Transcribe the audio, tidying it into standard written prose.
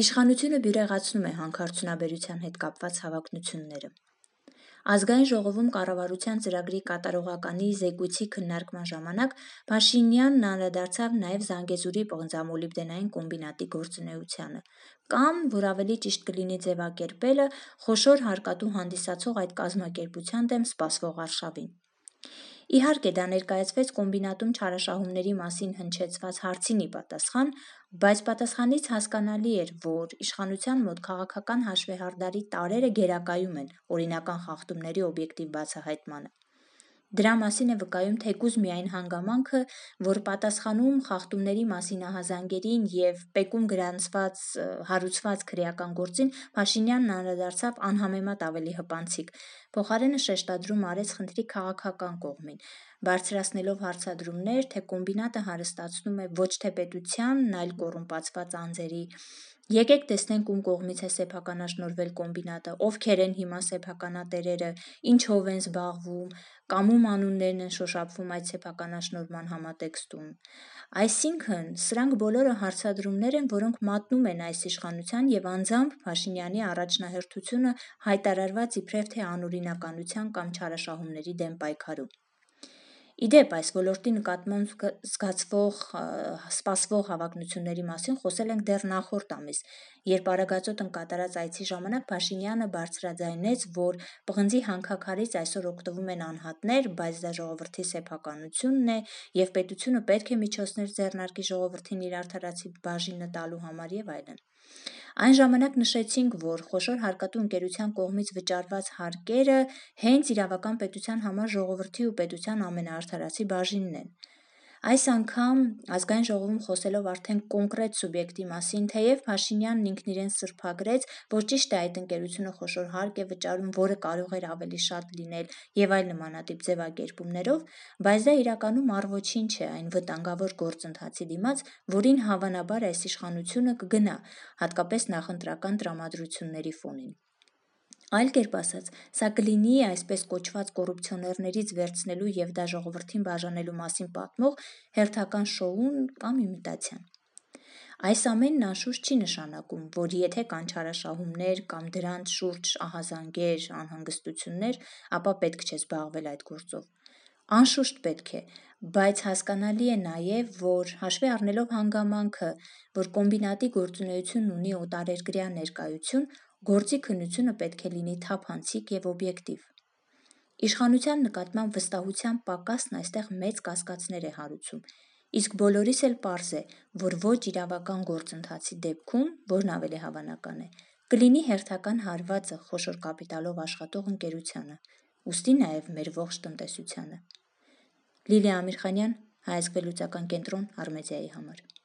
Իշխանությունը բյուրեղացնում է հանքարդյունաբերության հետ կապված հավակնությունները։ Ազգային ժողովում կառավարության ծրագրի կատարողականի զեկույցի քննարկման ժամանակ Փաշինյանն անդրադարձավ նաև Զանգեզուրի պղնձամոլիբդենային կոմբինատի գործունեությանը, կամ, որ ավելի ճիշտ կլինի ձևակերպելը, խոշոր հարկատու հանդիսացող այդ կազմակերպության դեմ սպասվող արշավին։ Իհարկե, դա ներկայացվեց կոմբինատում չարաշահումների մասին հնչեցված հարցին ի պատասխան, բայց պատասխանից հասկանալի էր, որ իշխանության մոտ քաղաքական հաշվեհարդարի տարրերը գերակայում են օրինական խախտումների օբյեկտիվ բացահայտմանը։ Դրա մասին է վկայում թեկուզ միայն հանգամանքը, որ պատասխանում խախտումների մասին ահազանգերին և պեկում գրանցված հարուցված քրեական գործին Փաշինյանն անդրադարձավ անհամեմատ ավելի հպանցիկ, փոխարենը շեշտադրում արեց խնդրի քաղաքական կողմին, բարձրացնելով հարցադրումներ, թե կոմբինատը հարստացնում է ոչ թե պետությանն, այլ կոռումպացված անձերի։ Եկեք տեսնենք ում կողմից է սեփականաշնորհվել կոմբինատը, ովքեր են հիմա սեփականատերերը, ինչով են զբաղվում, կամ ում անուններն են շոշափվում այդ սեփականաշնորհման համատեքստում։ Այսինքն, սրանք բոլորը հարցադրումներ են, որոնք մատնում են այս իշխանության և անձամբ Փաշինյանի առաջնահերթությունը հայտարարված իբրև թե անօրինականության կամ չարաշահումների դեմ պայքարում։ Ի դեպ, այս ոլորտի նկատմամբ սպասվող հավակնությունների մասին խոսել ենք դեռ նախորդ ամիս, երբ Արագածոտ կատարած այցի ժամանակ Փաշինյանը բարձրաձայնեց, որ պղնձի հանքաքարից այսօր օգտվում են անհատներ, բայց դա ժողովրդի սեփականությունն է և պետությունը պետք է միջոցներ ձեռնարկի ժողովրդին իր արդարացի բաժինը տալու համար և այլն։ Այն ժամանակ նշեցինք, որ խոշոր հարկատու ընկերության կողմից վճարված հարկերը հենց իրավական պետության համար ժողովրդի ու պետության ամենաարդարացի բաժինն են։ Այս անգամ Ազգային ժողովում խոսելով արդեն կոնկրետ սուբյեկտի մասին, թեև Փաշինյանն ինքն իրեն սրբագրեց, որ ճիշտ է այդ ընկերությունը խոշոր հարկ է վճարում, որը կարող էր ավելի շատ լինել և այլ նմանատիպ ձևակերպումներով, բայց դա իրականում առ-ոչինչ է այն վտանգավոր գործընթացի դիմաց, որին հավանաբար այս իշխանությունը կգնա, հատկապես նախընտրական տրամադրությունների ֆոնին։ Այլ կերպ ասած, սա կլինի այսպես կոչված կոռուպցիոներներից վերցնելու և դա ժողովրդին բաժանելու մասին պատմող հերթական շոուն կամ իմիտացիան։ Այս ամենն անշուշտ չի նշանակում, որ եթե կան չարաշահումներ կամ դրանց շուրջ ահազանգեր, անհանգստություններ, ապա պետք չէ զբաղվել այդ գործով։ Անշուշտ պետք է, բայց հասկանալի է նաև, որ հաշվի առնելով հանգամանքը, որ կոմբինատի գործունեությունն ունի օտարերկրյա ներկայություն, գործի քննությունը պետք է լինի թափանցիկ և օբյեկտիվ։ Իշխանության նկատմամբ վստահության պակասն այստեղ մեծ կասկածներ է հարուցում, իսկ բոլորիս էլ պարզ է, որ ոչ իրավական գործընթացի դեպքում, որն ավելի հավանական է, կլինի հերթական հարվածը խոշոր կապիտալով աշխատող ընկերությանը, ուստի նաև մեր ողջ տնտեսությանը։ Լիլիա Ամիրխանյան, Հայ ազգ վերլուծական կենտրոն, Արմեդիայի համար։